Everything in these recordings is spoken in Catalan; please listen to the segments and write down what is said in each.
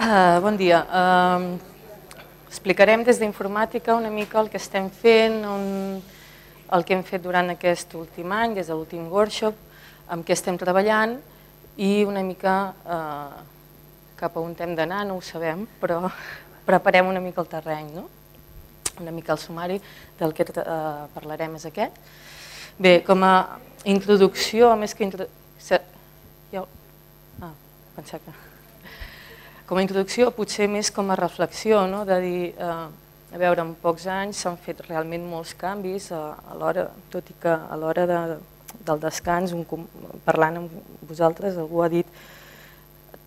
Bon dia. Explicarem des d'informàtica una mica el que estem fent, el que hem fet durant aquest últim any, des de l'últim workshop, amb què estem treballant i una mica cap a on hem d'anar, no ho sabem, però preparem una mica el terreny, no? Una mica el sumari del que parlarem és aquest. Bé, com a introducció, més que com a introducció, potser més com a reflexió, de dir, a veure, en pocs anys s'han fet realment molts canvis, tot i que a l'hora del descans, parlant amb vosaltres, algú ha dit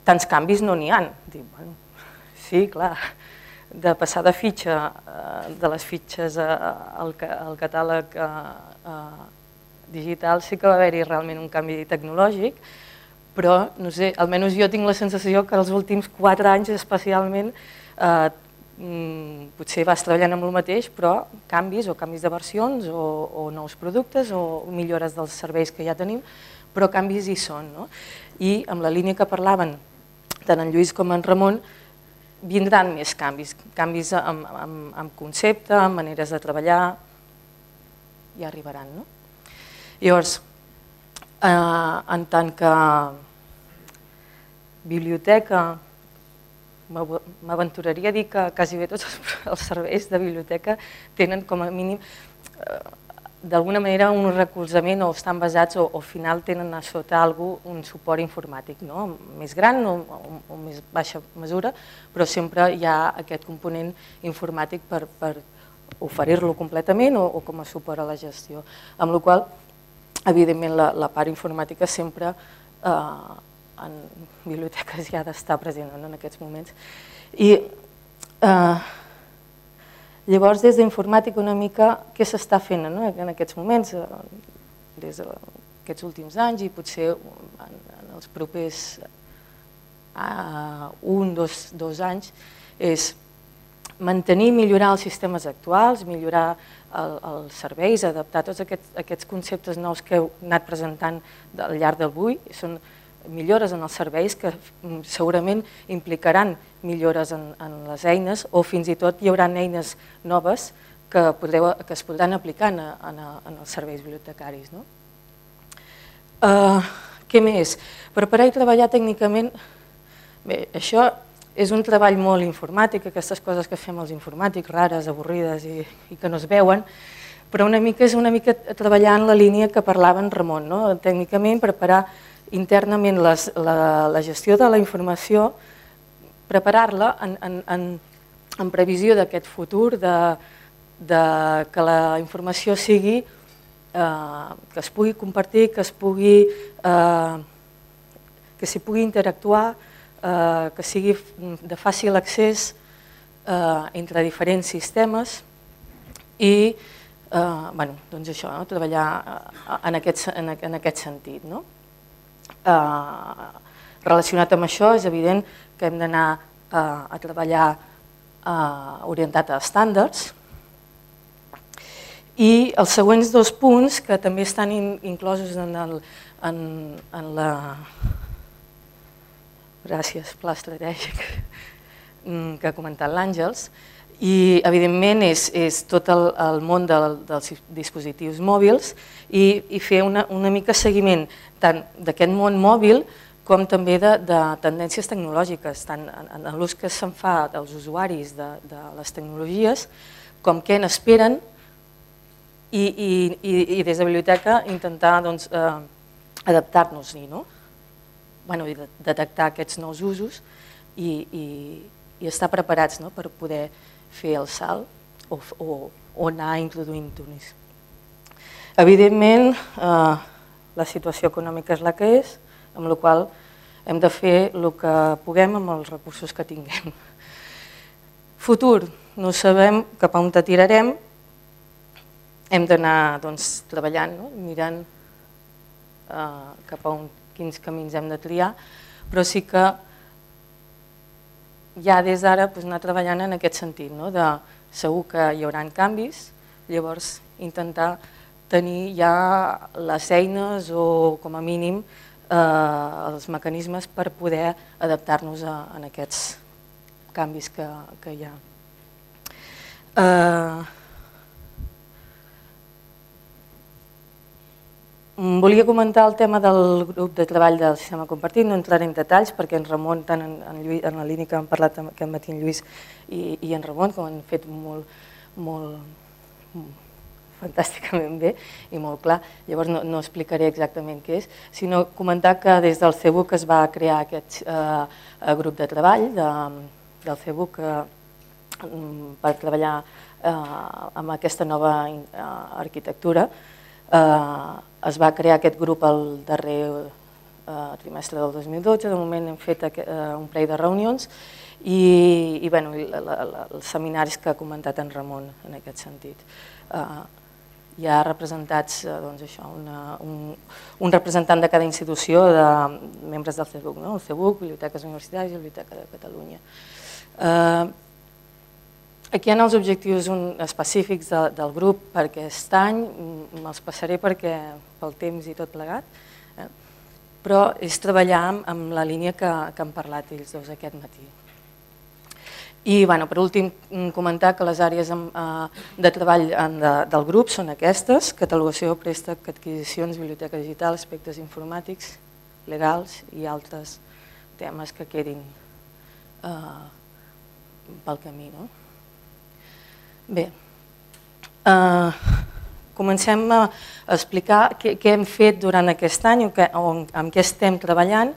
tants canvis no n'hi ha. Sí, clar, de passar de fitxa, de les fitxes al catàleg digital sí que va haver-hi realment un canvi tecnològic, però, no sé, almenys jo tinc la sensació que els últims 4 anys especialment potser vas treballant amb el mateix, però canvis de versions o nous productes o millores dels serveis que ja tenim, però canvis hi són. I amb la línia que parlaven tant en Lluís com en Ramon, vindran més canvis, canvis amb concepte, amb maneres de treballar, ja arribaran. Llavors, en tant que biblioteca, m'aventuraria a dir que quasi bé tots els serveis de biblioteca tenen com a mínim d'alguna manera un recolzament o estan basats o al final tenen a sota un suport informàtic, més gran o més baixa mesura, però sempre hi ha aquest component informàtic per oferir-lo completament o com a suport a la gestió. Amb la qual cosa, evidentment, la part informàtica sempre en biblioteques ja ha d'estar present en aquests moments. I llavors, des d'informàtica una mica, què s'està fent en aquests moments, des d'aquests últims anys i potser en els propers 1, 2 anys, és mantenir i millorar els sistemes actuals, millorar els serveis, adaptar tots aquests conceptes nous que heu anat presentant al llarg d'avui. Són millores en els serveis que segurament implicaran millores en les eines o fins i tot hi haurà eines noves que es podran aplicar en els serveis bibliotecaris. Què més? Preparar i treballar tècnicament. Bé, això és un treball molt informàtic, aquestes coses que fem els informàtics, rares, avorrides i que no es veuen, però és una mica treballar en la línia que parlava en Ramon. Tècnicament, preparar internament la gestió de la informació, preparar-la en previsió d'aquest futur, que la informació sigui, que es pugui compartir, que s'hi pugui interactuar, que sigui de fàcil accés entre diferents sistemes i treballar en aquest sentit. Relacionat amb això, és evident que hem d'anar a treballar orientat a estàndards i els següents 2 punts que també estan inclosos en la pla estratègic que ha comentat l'Àngels, i evidentment és tot el món dels dispositius mòbils i fer una mica seguiment tant d'aquest món mòbil com també de tendències tecnològiques, tant en l'ús que se'n fa dels usuaris de les tecnologies com què n'esperen i des de la biblioteca intentar adaptar-nos-hi, i detectar aquests nous usos i estar preparats per poder fer el salt o anar introduint-ho. Evidentment, la situació econòmica és la que és, amb la qual hem de fer el que puguem amb els recursos que tinguem. Futur, no sabem cap a on tirarem, hem d'anar treballant, mirant cap a quins camins hem de triar, però sí que ja des d'ara anar treballant en aquest sentit, segur que hi haurà canvis, llavors intentar tenir ja les eines o com a mínim els mecanismes per poder adaptar-nos a aquests canvis que hi ha. Volia comentar el tema del grup de treball del sistema compartit, no entraré en detalls perquè en Ramon, tant en la línia que hem parlat aquest matí en Lluís i en Ramon, que ho han fet molt fantàsticament bé i molt clar, llavors no explicaré exactament què és, sinó comentar que des del CEBUC es va crear aquest grup de treball del CEBUC per treballar amb aquesta nova arquitectura. Es va crear aquest grup el darrer trimestre del 2012, de moment hem fet un parell de reunions i els seminaris que ha comentat en Ramon en aquest sentit. Hi ha representats un representant de cada institució de membres del CEBUC, el CEBUC, Biblioteques Universitàries i Biblioteca de Catalunya. Aquí hi ha els objectius específics del grup per aquest any, me'ls passaré pel temps i tot plegat, però és treballar amb la línia que han parlat ells dos aquest matí. I per últim comentar que les àrees de treball del grup són aquestes: catalogació, préstec, adquisicions, biblioteca digital, aspectes informàtics, legals i altres temes que quedin pel camí. Bé, comencem a explicar què hem fet durant aquest any, amb què estem treballant.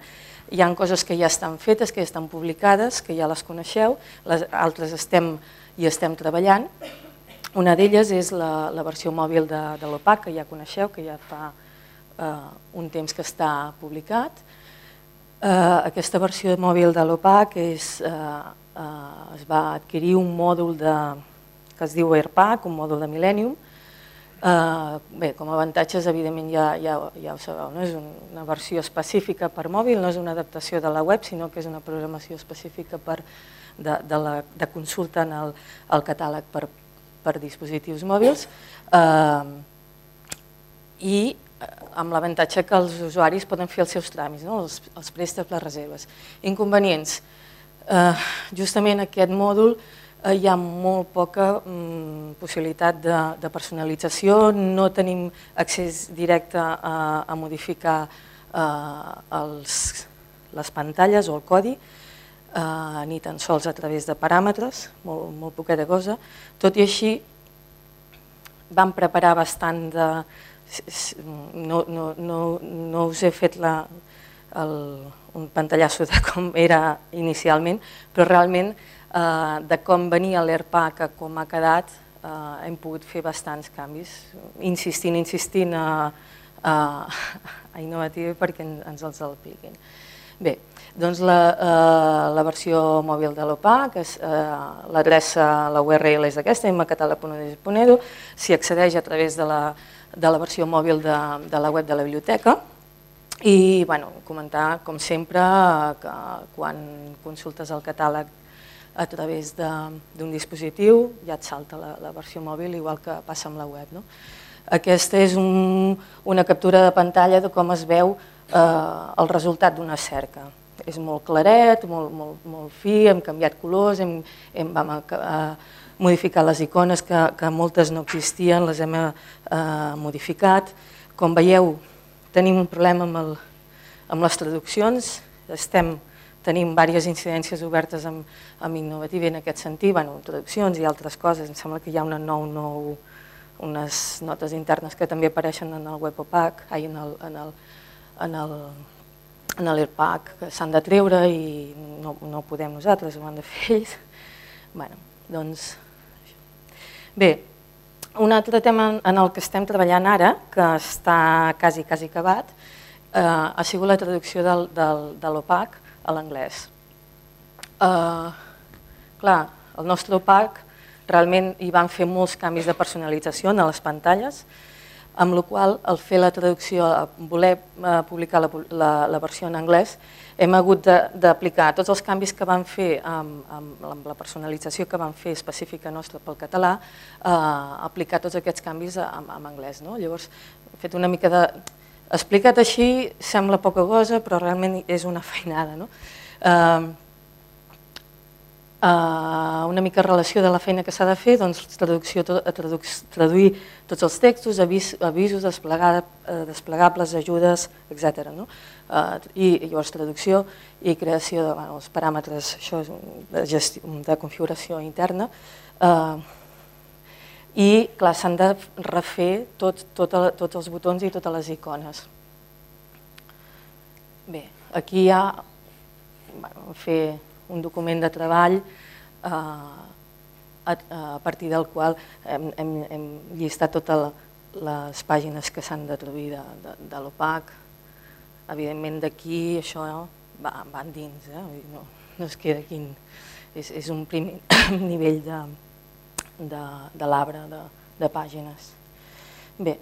Hi ha coses que ja estan fetes, que ja estan publicades, que ja les coneixeu, les altres hi estem treballant. Una d'elles és la versió mòbil de l'OPAC, que ja coneixeu, que ja fa un temps que està publicat. Aquesta versió mòbil de l'OPAC es va adquirir un mòdul que es diu AirPack, un mòdul de Millennium. Bé, com a avantatges, evidentment, ja ho sabeu, és una versió específica per mòbil, no és una adaptació de la web, sinó que és una programació específica de consulta al catàleg per dispositius mòbils i amb l'avantatge que els usuaris poden fer els seus tràmits, els préstecs, les reserves. Inconvenients. Justament aquest mòdul hi ha molt poca possibilitat de personalització, no tenim accés directe a modificar les pantalles o el codi, ni tan sols a través de paràmetres, molt poqueta cosa. Tot i així, vam preparar bastant de... No us he fet un pantallasso de com era inicialment, però realment de com venia l'AirPack a com ha quedat, hem pogut fer bastants canvis, insistint a Innovative perquè ens els apliquin. Bé, doncs la versió mòbil de l'OPAC, l'adreça, la URL és aquesta, mcatalog.edu, s'hi accedeix a través de la versió mòbil de la web de la biblioteca i comentar, com sempre, que quan consultes el catàleg a través d'un dispositiu ja et salta la versió mòbil, igual que passa amb la web. Aquesta és una captura de pantalla de com es veu el resultat d'una cerca. És molt claret, molt fi, hem canviat colors, vam modificar les icones que moltes no existien, les hem modificat. Com veieu, tenim un problema amb les traduccions, tenim diverses incidències obertes amb Innovative en aquest sentit, traduccions i altres coses. Em sembla que hi ha unes notes internes que també apareixen en el web OPAC, en l'AirPack, que s'han de treure i no podem nosaltres, ho han de fer ells. Bé, un altre tema en el que estem treballant ara, que està quasi acabat, ha sigut la traducció de l'OPAC a l'anglès. Clar, el nostre OPAC realment hi van fer molts canvis de personalització a les pantalles, amb la qual cosa, al fer la traducció, voler publicar la versió en anglès, hem hagut d'aplicar tots els canvis que vam fer amb la personalització que vam fer específica nostra pel català, aplicar tots aquests canvis en anglès. Llavors, he fet una mica de... Explicat així sembla poca cosa, però realment és una feinada. Una mica relació de la feina que s'ha de fer, doncs traduir tots els textos, avisos, desplegables, ajudes, etc. I llavors traducció i creació dels paràmetres de configuració interna. I, clar, s'han de refer tots els botons i totes les icones. Bé, aquí hi ha fer un document de treball a partir del qual hem llistat totes les pàgines que s'han de traduir de l'OPAC. Evidentment d'aquí això va dins, no es queda aquí, és un primer nivell de l'arbre de pàgines. Bé,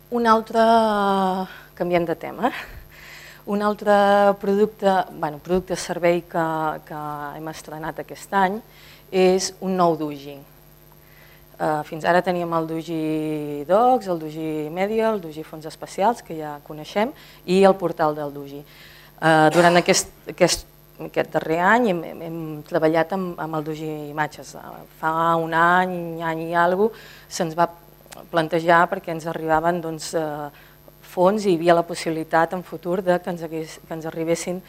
un altre, canviem de tema, un altre producte servei que hem estrenat aquest any és un nou Doji. Fins ara teníem el Doji Docs, el Doji Media, el Doji Fons Especials, que ja coneixem, i el portal del Doji. Durant aquest darrer any hem treballat amb el Doji Imatges. Fa un any i alguna cosa se'ns va plantejar perquè ens arribaven fons i hi havia la possibilitat en futur que ens arribessin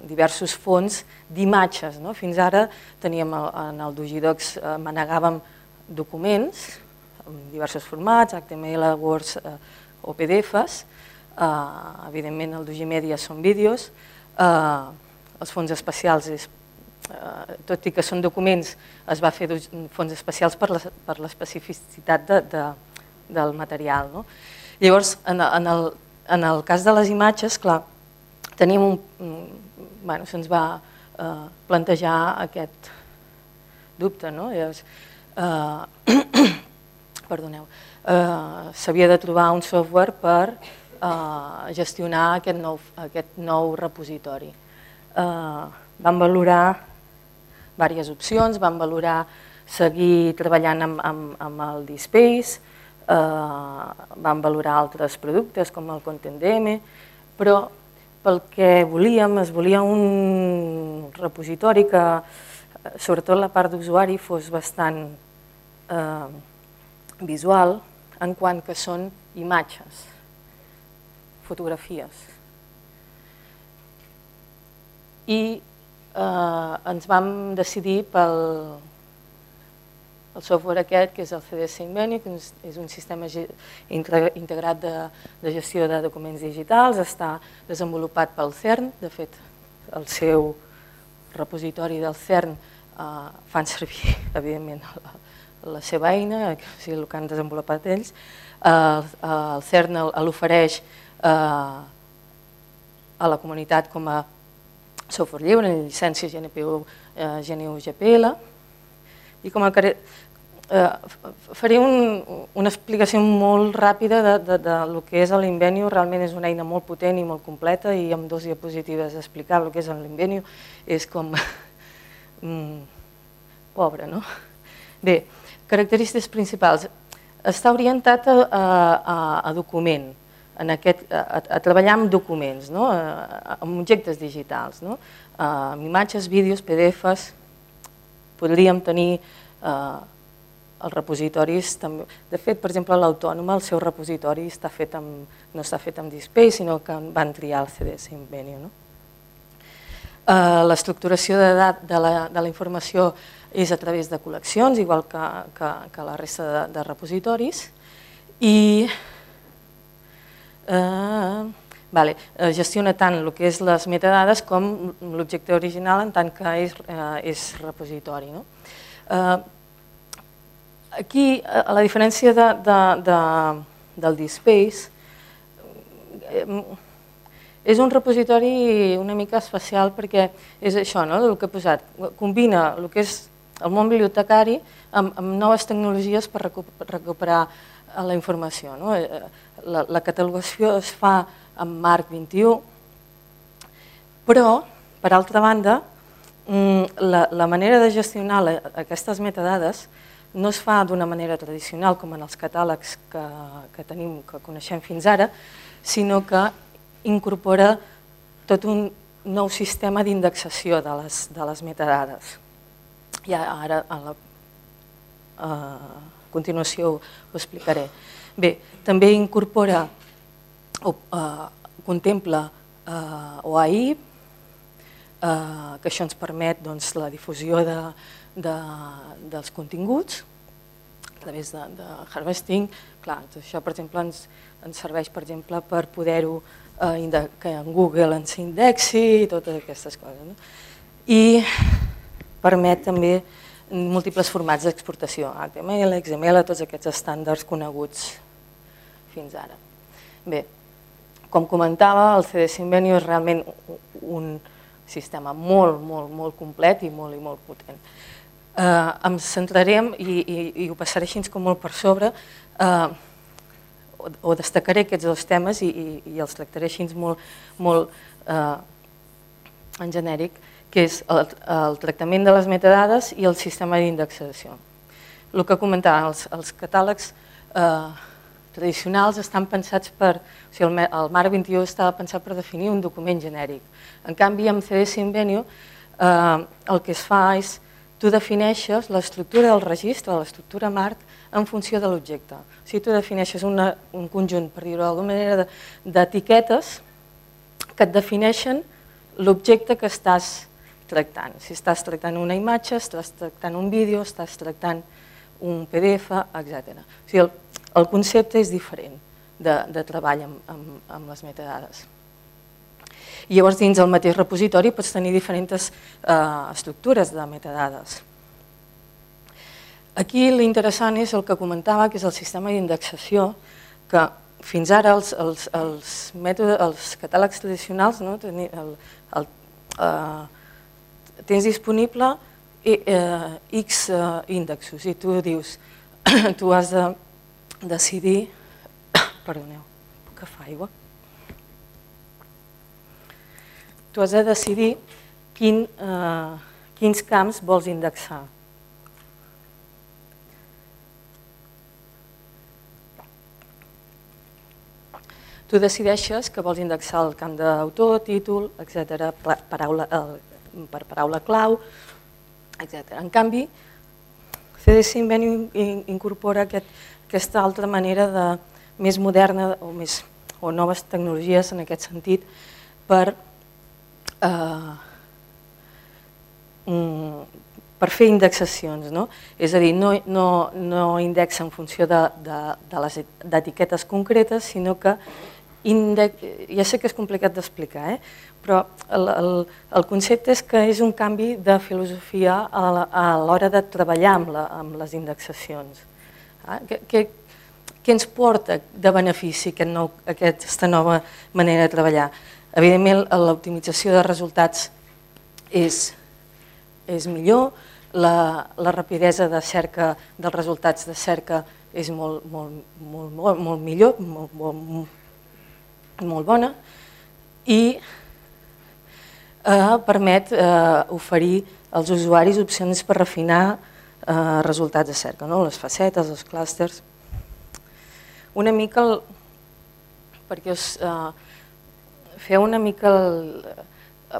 diversos fons d'imatges. Fins ara teníem en el Doji Docs, manegàvem documents en diversos formats, HTML, Word o PDFs. Evidentment el Doji Media són vídeos. Els fons especials, tot i que són documents, es va fer fons especials per l'especificitat del material. Llavors, en el cas de les imatges, clar, se'ns va plantejar aquest dubte. Perdoneu, s'havia de trobar un software per gestionar aquest nou repositori. Vam valorar diverses opcions, vam valorar seguir treballant amb el DSpace, vam valorar altres productes com el ContentDM, però pel que volíem, es volia un repositori que, sobretot la part d'usuari, fos bastant visual, en quant que són imatges, fotografies. I ens vam decidir pel software aquest, que és el CDS Invenio, que és un sistema integrat de gestió de documents digitals, està desenvolupat pel CERN. De fet, el seu repositori del CERN fan servir, evidentment, la seva eina, o sigui, el que han desenvolupat ells. El CERN l'ofereix a la comunitat com a software lliure, en llicència GNU GPL. I faré una explicació molt ràpida del que és l'Invenio. Realment és una eina molt potent i molt completa, i amb 2 diapositives explicar el que és l'Invenio és com pobre, no? Bé, característiques principals. Està orientat a document, a treballar amb documents, amb objectes digitals, amb imatges, vídeos, PDFs. Podríem tenir els repositoris. De fet, per exemple, l'Autònoma, el seu repositori no està fet amb DSpace, sinó que van triar el CDS Invenio. L'estructuració de la informació és a través de col·leccions, igual que la resta de repositoris. I gestiona tant el que és les metadades com l'objecte original en tant que és repositori. Aquí, a la diferència del DSpace, és un repositori una mica especial perquè és això, el que he posat. Combina el que és el món bibliotecari amb noves tecnologies per recuperar la informació. La catalogació es fa amb Marc 21, però, per altra banda, la manera de gestionar aquestes metadades no es fa d'una manera tradicional com en els catàlegs que coneixem fins ara, sinó que incorpora tot un nou sistema d'indexació de les metadades. I ara, a continuació, ho explicaré. Bé, també incorpora o contempla OAI, que això ens permet la difusió dels continguts a través de harvesting. Clar, això, per exemple, ens serveix per poder-ho que en Google ens indexi i totes aquestes coses. I permet també múltiples formats d'exportació, HTML, XML, tots aquests estàndards coneguts fins ara. Bé, com comentava, el CD Symbenio és realment un sistema molt complet i molt potent. Em centrarem, i ho passaré així com molt per sobre, o destacaré aquests dos temes i els tractaré així molt en genèric, que és el tractament de les metadades i el sistema d'indexació. El que comentava, els catàlegs tradicionals estan pensats per... O sigui, el MARC 21 estava pensat per definir un document genèric. En canvi, amb CD Symbenio el que es fa és tu defineixes l'estructura del registre, l'estructura MARC, en funció de l'objecte. O sigui, tu defineixes un conjunt, per dir-ho d'alguna manera, d'etiquetes que et defineixen l'objecte que estàs tractant. Si estàs tractant una imatge, estàs tractant un vídeo, estàs tractant un PDF, etc. O sigui, el concepte és diferent de treball amb les metadades. I llavors, dins el mateix repositori pots tenir diferents estructures de metadades. Aquí l'interessant és el que comentava, que és el sistema d'indexació, que fins ara els catàlegs tradicionals tens disponible X índexos i tu dius, tu has de decidir... Perdoneu, puc agafar aigua? Tu has de decidir quins camps vols indexar. Tu decideixes que vols indexar el camp d'autor, títol, etc., per paraula clau, etc. En canvi, CD Symbenio incorpora aquesta altra manera més moderna o noves tecnologies en aquest sentit per fer indexacions. És a dir, no indexa en funció d'etiquetes concretes, sinó que ja sé que és complicat d'explicar, però el concepte és que és un canvi de filosofia a l'hora de treballar amb les indexacions. Què ens porta de benefici aquesta nova manera de treballar? Evidentment, l'optimització de resultats és millor, la rapidesa de cerca dels resultats de cerca és molt millor, molt bona, i permet oferir als usuaris opcions per refinar resultats de cerca, les facetes, els clústers. Una mica, perquè us feu una mica,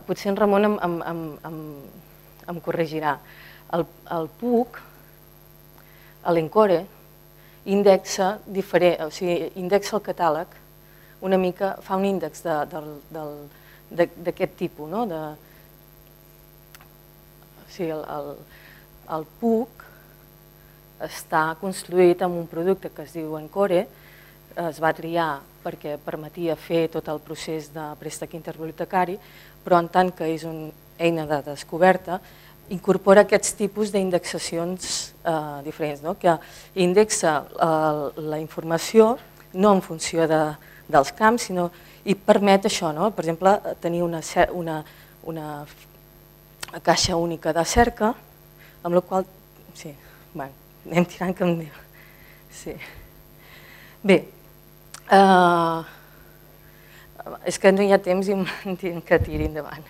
potser en Ramon em corregirà, el PUC, l'Encore, indexa el catàleg, una mica fa un índex d'aquest tipus. El PUC està construït amb un producte que es diu Encore, es va triar perquè permetia fer tot el procés de préstec interbibliotecari, però en tant que és una eina de descoberta, incorpora aquests tipus d'indexacions diferents, que indexa la informació no en funció dels camps, sinó i permet això, per exemple, tenir una caixa única de cerca, amb la qual... Sí, anem tirant que em diu. Bé, és que no hi ha temps i em tinc que tirar endavant.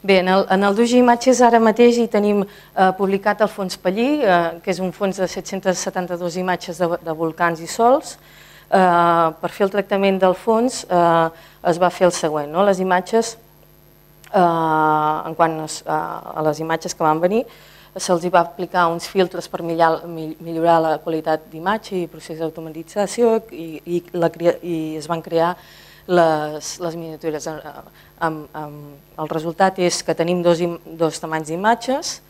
Bé, en el Dojo Imatges ara mateix hi tenim publicat el fons Pallí, que és un fons de 772 imatges de volcans i sols. per fer el tractament del fons es va fer el següent. Les imatges, en quant a les imatges que van venir, se'ls va aplicar uns filtres per millorar la qualitat d'imatge i procés d'automatització i es van crear les miniatures. El resultat és que tenim dos tamanys d'imatges,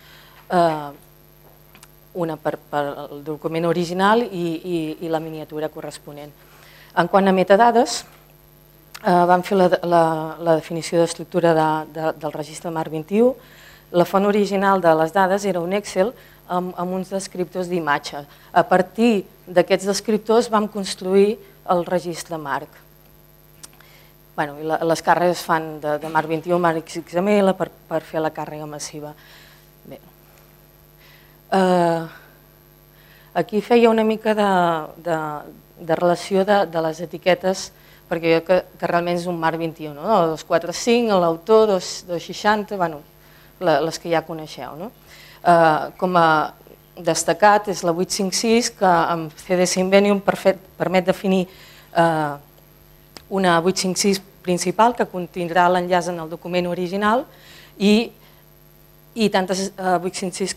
una per al document original i la miniatura corresponent. En quant a metadades, vam fer la definició d'estructura del registre MARC 21. La font original de les dades era un Excel amb uns descriptors d'imatge. A partir d'aquests descriptors vam construir el registre MARC. Les càrregues fan de MARC 21 a MARC XML per fer la càrrega massiva. Aquí feia una mica de relació de les etiquetes, perquè jo que realment és un MARC 21, 245, l'autor, 260, les que ja coneixeu. Com a destacat és la 856, que amb CDS Invenium permet definir una 856 principal que contindrà l'enllaç en el document original i tantes 856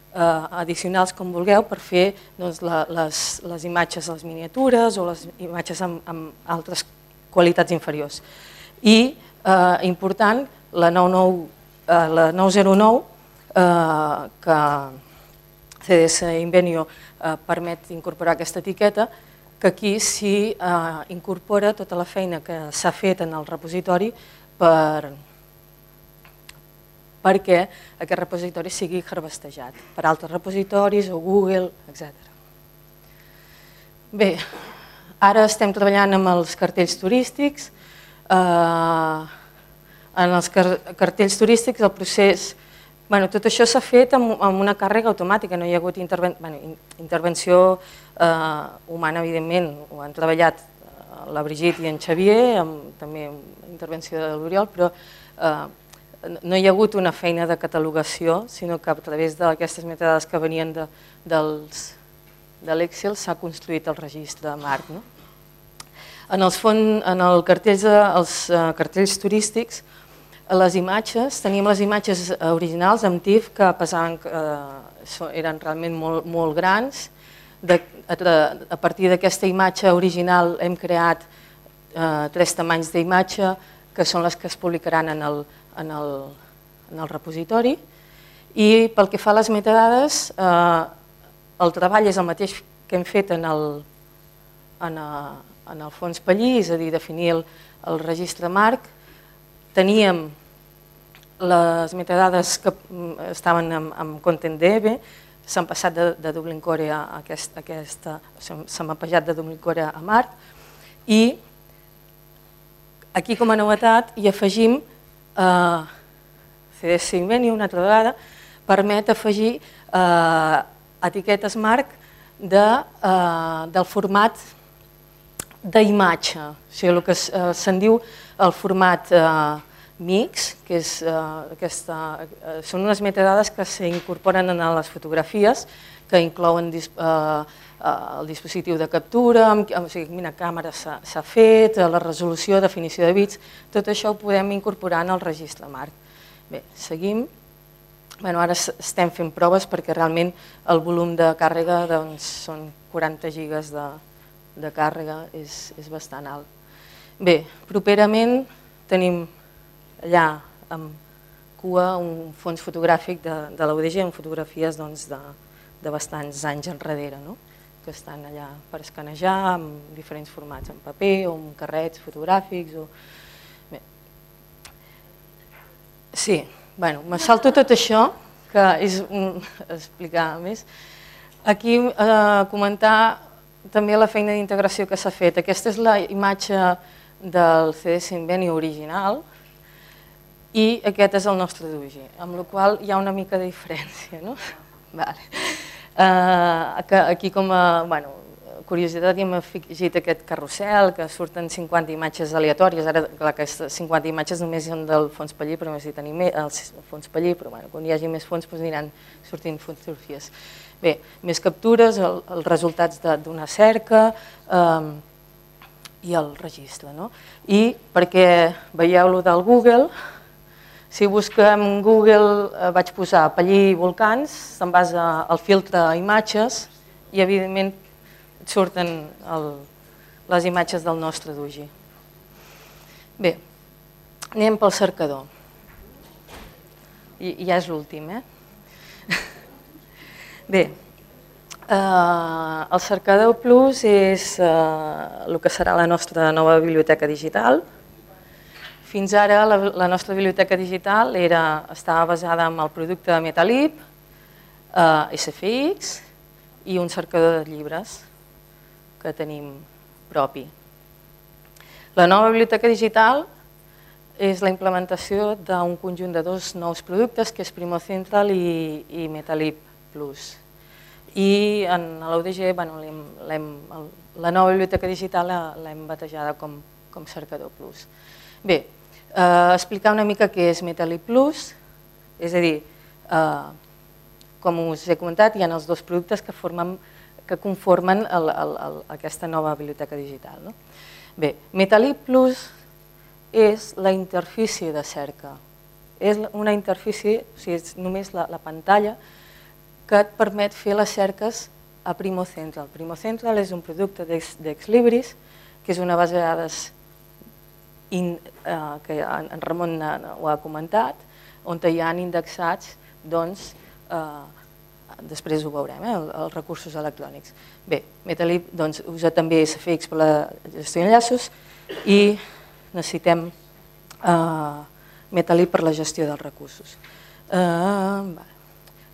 addicionals com vulgueu per fer les imatges, les miniatures o les imatges amb altres qualitats inferiors. I, important, la 909, que CDS Invenio permet incorporar aquesta etiqueta, que aquí s'hi incorpora tota la feina que s'ha fet en el repositori perquè aquest repositori sigui harvestejat per altres repositoris o Google, etc. Bé, ara estem treballant amb els cartells turístics. En els cartells turístics el procés, tot això s'ha fet amb una càrrega automàtica, no hi ha hagut intervenció humana, evidentment, ho han treballat la Brigitte i en Xavier, també intervenció de l'Oriol, però no hi ha hagut una feina de catalogació, sinó que a través d'aquestes metadades que venien de l'Excel s'ha construït el registre MARC. En els cartells turístics, les imatges, teníem les imatges originals amb TIFF que pesaven, eren realment molt grans. A partir d'aquesta imatge original hem creat 3 tamanys d'imatge que són les que es publicaran en el repositori. I pel que fa a les metadades, el treball és el mateix que hem fet en el fons Pallí, és a dir, definir el registre MARC. Teníem les metadades que estaven amb ContentDB, s'han passat de Dublin Core a s'ha mapejat de Dublin Core a MARC, i aquí com a novetat hi afegim CDS Invenium, una altra vegada, permet afegir etiquetes MARC del format d'imatge, o sigui, el que se'n diu el format mix, que són unes metadades que s'incorporen en les fotografies, que inclouen el dispositiu de captura, quina càmera s'ha fet, la resolució, definició de bits, tot això ho podem incorporar en el registre MARC. Bé, seguim. Ara estem fent proves perquè realment el volum de càrrega són 40 gigas de càrrega, és bastant alt. Bé, properament tenim allà amb cua un fons fotogràfic de la UDG amb fotografies de bastants anys enrere, que estan allà per escanejar en diferents formats, en paper o en carrets fotogràfics. Sí, me salto tot això, que és explicar més. Aquí comentar també la feina d'integració que s'ha fet. Aquesta és la imatge del CDS Invenio original i aquest és el nostre DUG, amb la qual hi ha una mica de diferència. Aquí com a curiositat hi hem afegit aquest carrusel, que surten 50 imatges aleatòries, ara aquestes 50 imatges només són del fons Pallí, però només hi tenim el fons Pallí, però quan hi hagi més fons aniran sortint fotografies. Bé, més captures, els resultats d'una cerca, i el registre. I perquè veieu lo del Google, si busquem Google, vaig posar Pallí volcans, se'n vas al filtre imatges i evidentment et surten les imatges del nostre Dugi. Bé, anem pel cercador. I ja és l'últim, Bé, el cercador Plus és el que serà la nostra nova biblioteca digital. Fins ara la nostra biblioteca digital estava basada en el producte de Metalib, SFX i un cercador de llibres que tenim propi. La nova biblioteca digital és la implementació d'un conjunt de dos nous productes, que és Primo Central i Metalib Plus. I en l'UDG, la nova biblioteca digital l'hem batejada com cercador Plus. Bé, explicar una mica què és Metalib Plus, és a dir, com us he comentat, hi ha els dos productes que conformen aquesta nova biblioteca digital. Bé, Metalib Plus és la interfície de cerca. És una interfície, o sigui, és només la pantalla que et permet fer les cerques a Primo Central. Primo Central és un producte d'Exlibris, que és una base de dades que en Ramon ho ha comentat, on hi ha indexats, doncs, després ho veurem, els recursos electrònics. Bé, Metalib usa també SFX per la gestió d'enllaços i necessitem Metalib per la gestió dels recursos.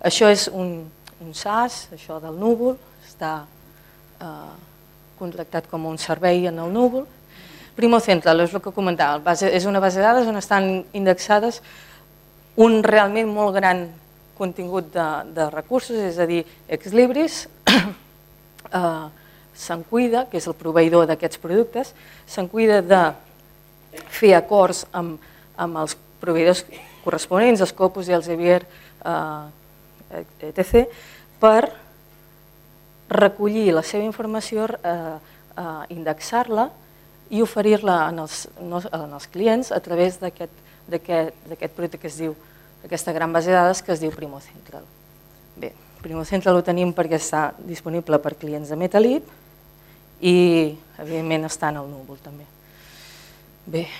Això és un SaaS, això del núvol, està contractat com un servei en el núvol. Primo Central, és el que comentava, és una base de dades on estan indexades un realment molt gran contingut de recursos, és a dir, Exlibris se'n cuida, que és el proveïdor d'aquests productes, se'n cuida de fer acords amb els proveïdors corresponents, els Scopus i els Elsevier, etc., per recollir la seva informació, indexar-la i oferir-la als clients a través d'aquest producte que es diu, aquesta gran base de dades que es diu Primo Central. Bé, Primo Central ho tenim perquè està disponible per clients de Metalib i, evidentment, està en el núvol també. Bé,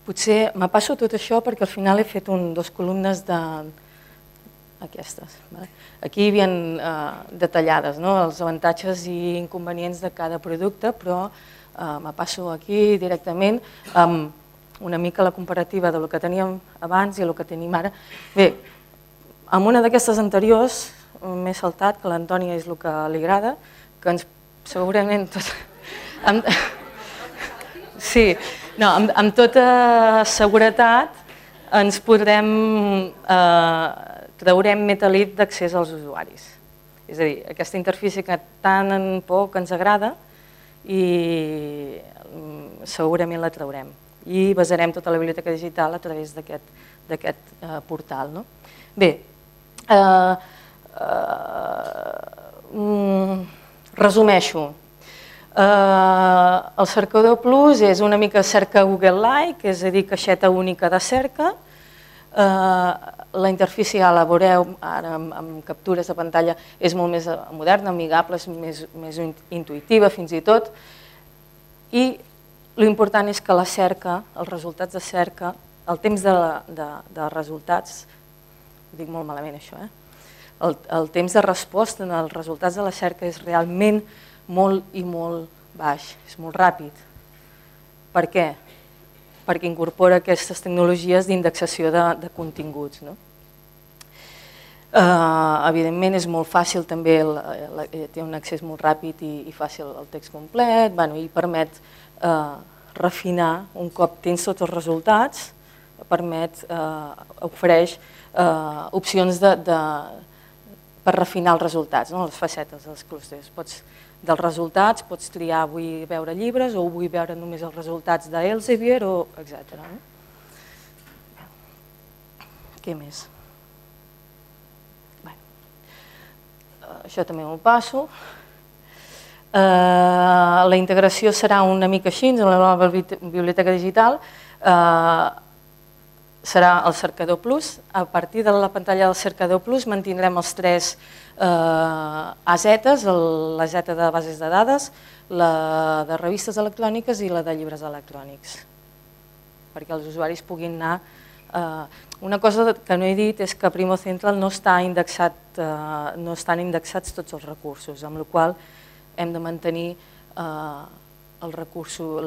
potser me passo tot això perquè al final he fet dues columnes d'aquestes. Aquí hi havia detallades els avantatges i inconvenients de cada producte, però me passo aquí directament amb una mica la comparativa del que teníem abans i el que tenim ara. Bé, en una d'aquestes anteriors m'he saltat, que l'Antònia és el que li agrada, que ens segurament tot... Sí, no, amb tota seguretat ens traurem Metalib d'accés als usuaris. És a dir, aquesta interfície que tant en poc ens agrada i segurament la traurem. I basarem tota la biblioteca digital a través d'aquest portal. Bé, resumeixo. El cercador Plus és una mica cerca Google-like, és a dir, caixeta única de cerca. La interfície ja la veureu ara amb captures de pantalla, és molt més moderna, amigable, és més intuïtiva fins i tot. I l'important és que la cerca, els resultats de cerca, el temps de resultats, ho dic molt malament això, el temps de resposta en els resultats de la cerca és realment molt i molt baix, és molt ràpid. Per què? Perquè incorpora aquestes tecnologies d'indexació de continguts. Evidentment és molt fàcil també, té un accés molt ràpid i fàcil al text complet, i permet refinar, un cop tens tots els resultats, ofereix opcions per refinar els resultats, les facetes dels clústers. Dels resultats pots triar vull veure llibres o vull veure només els resultats d'Elsevier, etc. Què més? Això també m'ho passo. La integració serà una mica així, en la nova biblioteca digital, serà el cercador plus. A partir de la pantalla del cercador plus mantindrem els 3 AZs, la Z de bases de dades, la de revistes electròniques i la de llibres electrònics, perquè els usuaris puguin anar. Una cosa que no he dit és que a Primo Central no estan indexats tots els recursos, amb la qual cosa hem de mantenir la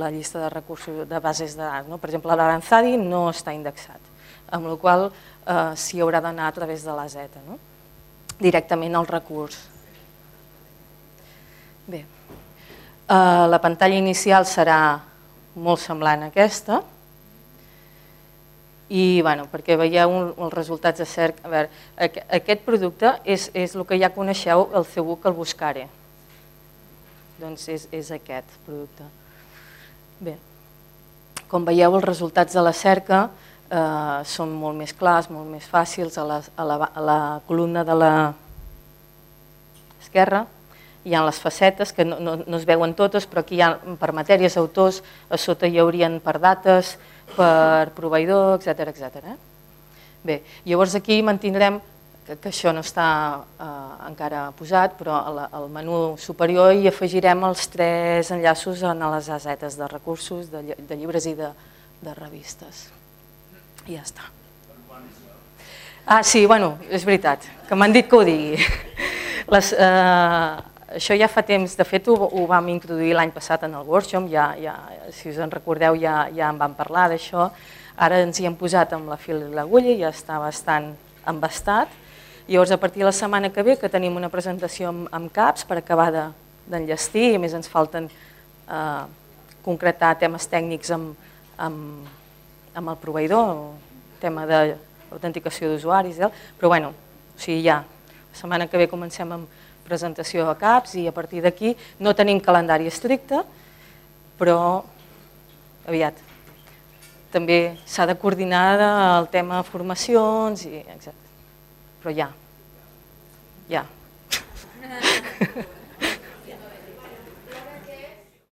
llista de recursos de bases de dades. Per exemple, l'Aranzadi no està indexat, amb la qual cosa s'hi haurà d'anar a través de la Z, directament al recurs. Bé, la pantalla inicial serà molt semblant a aquesta, i perquè veieu els resultats de cerca. A veure, aquest producte és el que ja coneixeu, el cBook, el Buscare. Doncs és aquest producte. Bé, com veieu, els resultats de la cerca són molt més clars, molt més fàcils. A la columna de l'esquerra hi ha les facetes, que no es veuen totes, però aquí hi ha per matèries, autors, a sota hi haurien per dates, per proveïdor, etc. Bé, llavors aquí mantindrem, que això no està encara posat, però al menú superior hi afegirem els 3 enllaços en les AZs de recursos, de llibres i de revistes. I ja està. Ah, sí, és veritat, que m'han dit que ho digui. Això ja fa temps, de fet ho vam introduir l'any passat en el workshop, si us en recordeu ja en vam parlar d'això, ara ens hi hem posat amb la fil i l'agulla i ja està bastant embastat. Llavors, a partir de la setmana que ve, que tenim una presentació amb CAPs per acabar d'enllestir, i a més ens falten concretar temes tècnics amb el proveïdor, tema d'autenticació d'usuaris, però ja, la setmana que ve comencem amb presentació a CAPs i a partir d'aquí no tenim calendari estricte, però aviat. També s'ha de coordinar el tema de formacions, etc. Però ja.